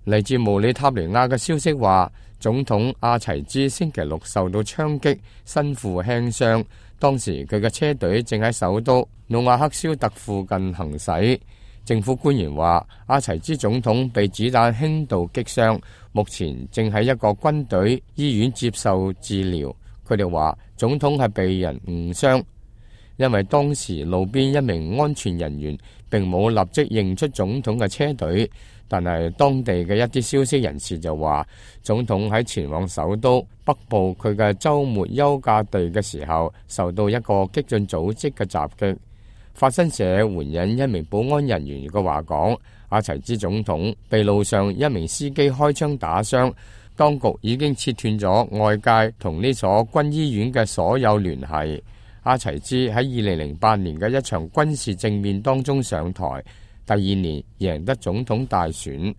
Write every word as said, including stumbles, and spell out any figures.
嚟自毛里塔尼亞嘅消息話，總統阿齊茲星期六受到槍擊，身負輕傷。當時佢嘅車隊正喺首都努瓦克肖特附近行駛。政府官員話，阿齊茲總統被子彈輕度擊傷，目前正喺一個軍隊醫院接受治療。佢哋話，總統係被人誤傷，因為當時路邊一名安全人員並冇立即認出總統嘅車隊。但係當地嘅一啲消息人士就話，總統喺前往首都北部佢嘅週末休假地嘅時候，受到一個激進組織嘅襲擊。法新社援引一名保安人員嘅話講，阿齊茲總統被路上一名司機開槍打傷，當局已經切斷咗外界同呢所軍醫院嘅所有聯繫。阿齊茲喺二零零八年嘅一場軍事政變當中上台，第二年贏得總統大選。